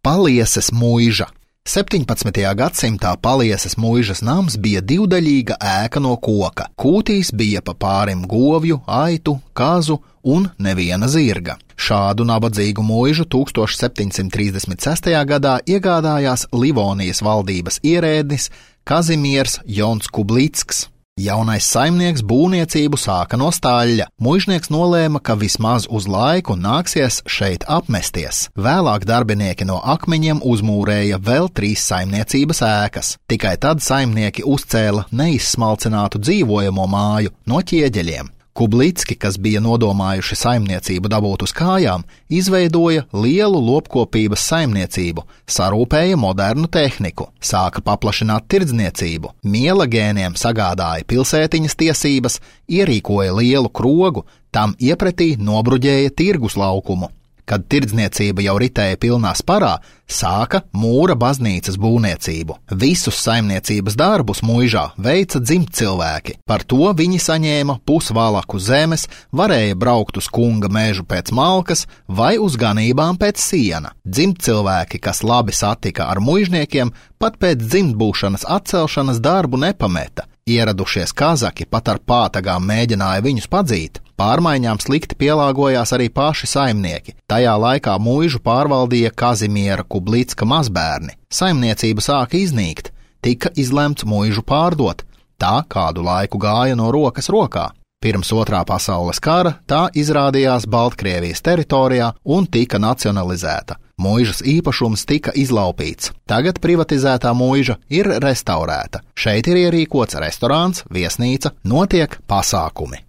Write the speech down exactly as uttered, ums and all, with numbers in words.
Palieses muiža. septiņpadsmitajā gadsimtā Palieses muižas nams bija divdaļīga ēka no koka. Kūtīs bija pa pārim govju, aitu, kazu un neviena zirga. Šādu nabadzīgu muižu tūkstoš septiņsimt trīsdesmit sestajā gadā iegādājās Livonijas valdības ierēdnis Kazimiers Jons Kublicks. Jaunais saimnieks būvniecību sāka no staļļa. Muižnieks nolēma, ka vismaz uz laiku nāksies šeit apmesties. Vēlāk darbinieki no akmeņiem uzmūrēja vēl trīs saimniecības ēkas. Tikai tad saimnieki uzcēla neizsmalcinātu dzīvojamo māju no ķieģeļiem. Kublicki, kas bija nodomājuši saimniecību dabūt uz kājām, izveidoja lielu lopkopības saimniecību, sarūpēja modernu tehniku, sāka paplašināt tirdzniecību, mielagēniem sagādāja pilsētiņas tiesības, ierīkoja lielu krogu, tam iepretī nobruģēja tirgus laukumu. Kad tirdzniecība jau ritēja pilnā sparā, sāka mūra baznīcas būvniecību. Visus saimniecības darbus muižā veica dzimtcilvēki. Par to viņi saņēma pusvalaku zemes, varēja braukt uz kunga mežu pēc malkas vai uz ganībām pēc siena. Dzimtcilvēki, kas labi satika ar muižniekiem, pat pēc dzimtbūšanas atcelšanas darbu nepameta. Ieradušies kazaki pat ar pātagām mēģināja viņus padzīt. Pārmaiņām slikti pielāgojās arī paši saimnieki. Tajā laikā muižu pārvaldīja Kazimiera Kublicka mazbērni. Saimniecība sāka iznīkt, tika izlemts muižu pārdot. Tā kādu laiku gāja no rokas rokā. Pirms otrā pasaules kara tā izrādījās Baltkrievijas teritorijā un tika nacionalizēta. Muižas īpašums tika izlaupīts. Tagad privatizētā muiža ir restaurēta. Šeit ir ierīkots restorāns, viesnīca, notiek pasākumi.